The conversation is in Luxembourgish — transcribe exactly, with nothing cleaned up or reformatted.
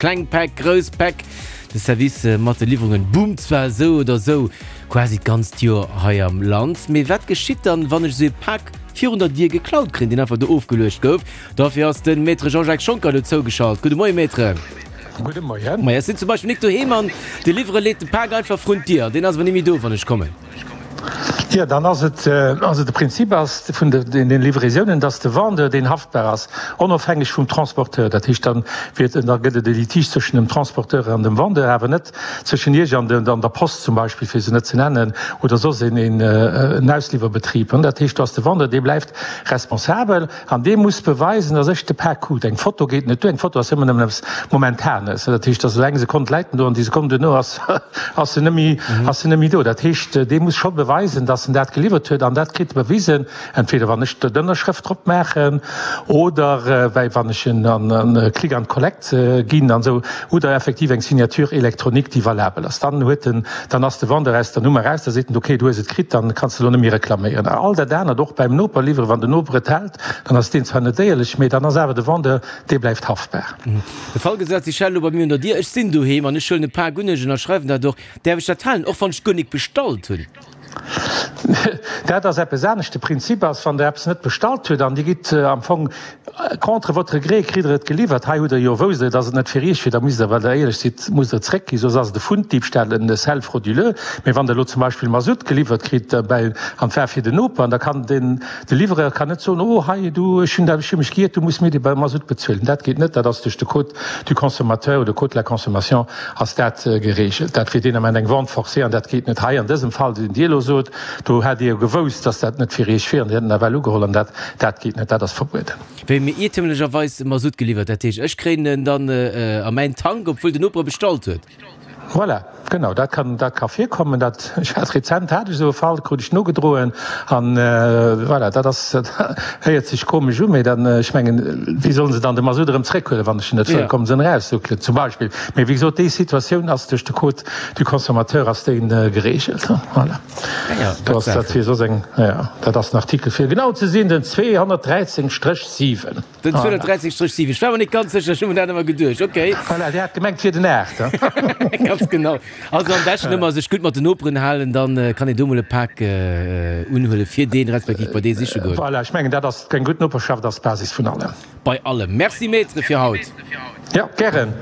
Kleng Päck, grouss Päck, de Service mat de Liwwerungen boomt zwar esou oder esou quasi d'ganzt Joer hei am Land, mee wat geschitt dann, wann ech esou ee Pak virun der Dier geklaut kréien, deen einfach do ofgeluecht gouf? Dofir ass de Maître Jean-Jacques Schoncker elo zougeschalt. Gudde Moie Maître. Gudde Moien. Maja, ech sinn zum Beispill nik doheem an de Liwwerer leet de Pak einfach vrun d'Dier an deen ass awer ni méi do, wann ech kommen. Jo, dann ass et, also de Prinzip ass vun den Livraisounen, dass de Vendeur deen haftbar ass, onofhängeg vum Transporteur. Dat heescht, dann wier et, da gëtt et e Litige zwëschen dem Transporteur an dem Vendeur, awer net zwëschen Iech an der Post zum Beispill, fir se net ze nennen, oder soss een, en Ausliwwerbetrib. Dat heescht, do ass de Vendeur, dee bleift responsabel an dee muss beweisen, dass ech de Pak krut. Eng Foto geet net duer, eng Foto ass ëmmer nëmmen eppes Momentanes. Dat heescht, dass elo eng Sekonn läit en do an déi Sekonn duerno ass, ass en net méi, ass en net méi do. Dat heescht, dee muss scho beweisen, dass en dat geliwwert huet, an dat kritt e bewisen, entweder wann ech d'Ënnerschrëft drop maachen oder well wann ech en an Click and Collect ginn an esou, oder effektiv eng Signature électronique, déi valabel ass. Dann huet en, dann ass de Vendeur aus der Nummer raus, da seet en, okay, du hues et kritt, dann kanns de elo net méi reklaméieren. All dat anert, och beim Noper liwweren, wann den Noper et hält, dann ass deen zwar net éierlech, mee dann ass awer de Vendeur, dee bleift haftbar. De Fall gesat, si schellen elo bei mir un der Dier, ech sinn doheem an ech huelen e Pak un, ech ënnerschreiwen dat och, däerf ech dat halen, och wann ech guer nik bestallt hunn? Dat ass eppes anescht. De Prinzip ass, wann Der eppes net bestallt hutt an Dir gitt am Fong contre votre gré, kritt Der et geliwwert. Hei hutt Der jo, wousst Der, dass et net fir Iech wier, da musst Der, well Der éierlech sidd, musst Der et zréckginn, soss ass et e Funddiebstahl, en Sel frauduleux. Mee wann Der elo zum Beispill Masutt geliwwert kritt bei, an et war fir den Noper, da kann den, de Livreur kann net soen, oh hei du, ech hunn dat, ech hu mech giiert, du muss mir dee Masutt bezuelen. Dat geet net. Dat ass duerch de Code du consommateur oder Code de la consommation ass dat geregelt. Dat wier deen Ament eng Vente forcée an dat geet net. Hei an dësem Fall, deen Dir elo sot, do hätt Dir jo gewousst, dass dat net fir Iech wier an Dir hätt en ewell ugeholl an dat, dat geet net, dat ass verbueden. Wéi mir iertemlecherweis Masutt geliwwert, dat heescht, ech kréien en dann a mäin Tank, obwuel den Noper e bestallt huet. Voilà, genau, dat kann, dat ka virkommen. Dat, ech hat rezent hat ech esou e Fall, krut ech nogedroen an voilà, dat ass, dat héiert sech komesch u, mee dann, ech mengen, wéi solle se dann de Masutt erëm zréckhuelen, wann ech en net wëll, kommen se en eraussuckelen zum Beispill. Mee wéi gesot, déi Situatioun ass duerch de Code du consommateur ass déi geregelt. Voilà. Do ass dat fir soss eng, jo, dat ass den Artikel fir genau ze sinn, den zweehonnertdräizéng Stréch siwen. Den zweehonnertdräizéng Stréch siwen. Ech war mer net ganz sécher, ech hu mer dat ëmmer geduecht. Okay. Voilà, Dir hat gemengt, et wier den aacht. Ganz genau. Also am beschten ëmmer sech gutt mat den Noperen halen, dann kann een do mol e Pak unhuelen, fir deen respektiv bei dee siche goen. Voilà, ech mengen, dat ass, eng gutt Noperschaft ass d'Basis vun allem. Bei allem. Merci Maître fir haut. Jo, gären.